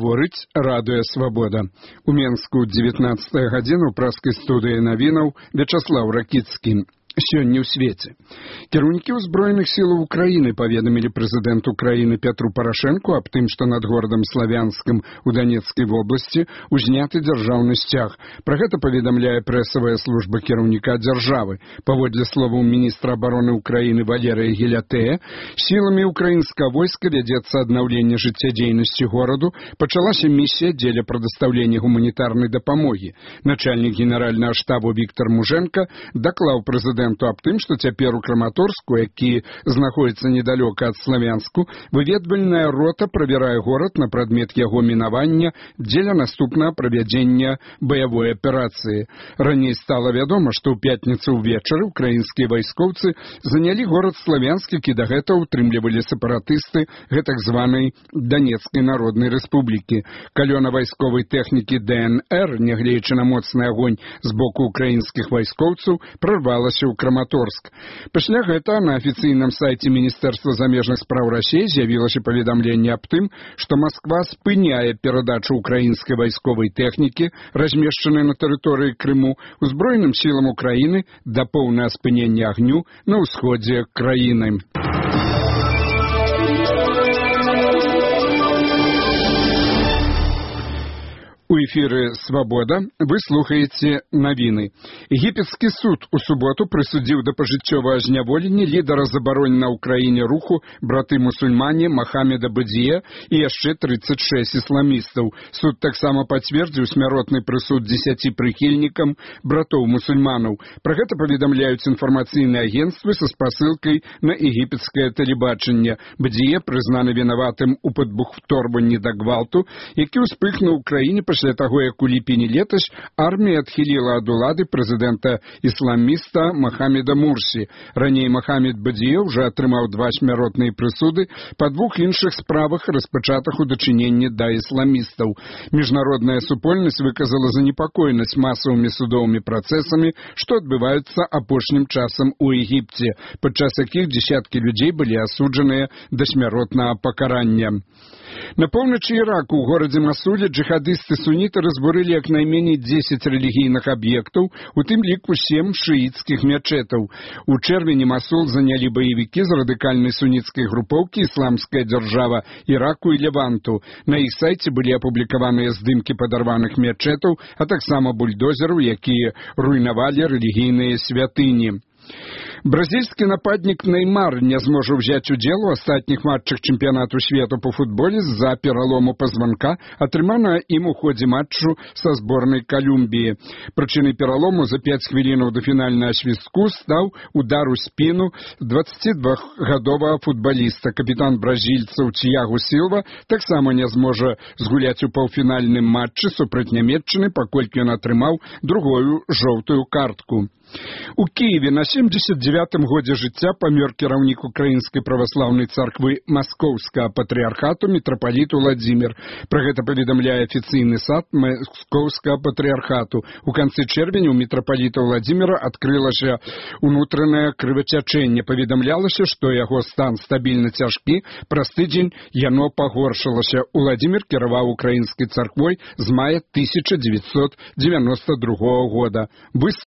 Гаворыць радыё «Свабода». У Менску 19 гадзіна ў праскай студыі навінаў Вячаслаў Ракіцкі. Сёння ў свеце. Кіраўнікі ўзброеных сілаў Украіны паведамілі прэзідэнту краіны Петру Парашэнку аб тым, што над горадам Славянскім у Данецкай вобласці узняты дзяржаўны сцяг. Пра гэта паведамляе прэсавая служба кіраўніка дзяржавы. Паводле словаў міністра абароны Украіны Валерыя Гелятэя, сіламі украінскага войска вядзецца аднаўленне жыццядзейнасці гораду, пачалася місія дзеля прадастаўлення гуманітарнай дапамогі. Начальнік генеральнага штабу Віктор Мужэнка даклаў прэзідэнту аб тым, што цяпер у Краматорску, які знаходзіцца недалёка ад Славянску, выведвальная рота правярае горад на прадмет яго мінавання дзеля наступнага правядзення баявой аперацыі. Раней стала вядома, што ў пятніцу ўвечары украінскія вайскоўцы занялі горад Славянск, які дагэтуль утрымлівалі сепаратысты гэтак званай Данецкай народнай рэспублікі. Калёна вайсковай тэхнікі ДНР, нягледзячы на моцны агонь з боку украінскіх вайскоўцаў, прарвалася ў Краматорск. Пасля гэта на афіцыйным сайце Міністэрства замежных спраў Расіі з'явілася паведамленне аб тым, што Масква спыняе перадачу украінскай вайсковай тэхнікі, размешчанай на тэрыторыі Крыму, узброеным сілам Украіны да поўнага спынення агню на ўсходзе краіны. У эфіры «Свабода» вы слухаеце навіны. Егіпецкі суд у суботу прысудзіў да пажыццёвага зняволення лідара забаронена ў краіне руху браты-мусульмане Махамеда Бадзіе і яшчэ 36 ісламістаў. Суд таксама пацвердзіў смяротны прысуд 10 прыхільнікам братоў-мусульманаў. Пра гэта паведамляюць інфармацыйныя агенцтвы са спасылкай на егіпецкае тэлебачанне. Бадзіе прызнаны вінаватым у падбухторванні да гвалту, які ўспыхнуў у краіне пасля таго, як у ліпені летась армія адхіліла ад улады прэзідэнта-ісламіста Махамеда Мурсі. Раней Махамед Бадзіе ўжо атрымаў 2 смяротныя прысуды па 2 іншых справах, распачатых у дачыненні да ісламістаў. Міжнародная супольнасць выказала занепакоенасць масавымі судовымі працэсамі, што адбываюцца апошнім часам у Егіпце, падчас якіх дзесяткі людзей былі асуджаныя да смяротнага пакарання. На поўначы Іраку ў горадзе Масуле джихадысты-суніты разбурылі як найменей 10 рэлігійных аб'ектаў, у тым ліку 7 шыіцкіх мячэтаў. У чэрвені Масул занялі баевікі з радыкальнай суніцкай групоўкі «Ісламская дзяржава» Іраку і Леванту. На іх сайце былі апублікаваныя здымкі падарваных мячэтаў, а таксама бульдозераў, якія руйнавалі рэлігійныя святыні. Бразільскі нападнік Неймар не зможа ўзяць удзел у астатніх матчах чэмпіянату свету па футболе з-за пералому пазванка, атрыманага ім у ходзе матчу са зборнай Калумбіі. Прычынай пералому за 5 хвілінаў да фінальнага свістку стаў удар у спіну 22-гадовага футбаліста. Капітан бразільцаў Тьягу Сілва таксама не зможа згуляць у паўфінальным матчы супраць Нямецчыны, паколькі ён атрымаў другую жоўтую картку. У Киеве на 79-м годзе жыцця памёр кіраўнік Украінскай праваслаўнай царквы Маскоўскага патрыархату мітрапаліт Уладзімір. Пра гэта паведамляе афіцыйны сайт Маскоўскага патрыархату. У канцы чэрвеня у мітрапаліта Уладзіміра адкрылася унутранае крывацячэнне. Паведамлялася, што яго стан стабільна цяжкі, праз тыдзень яно пагоршылася. Уладзімір кіраваў украінскай царквой з мая 1992 года. Вы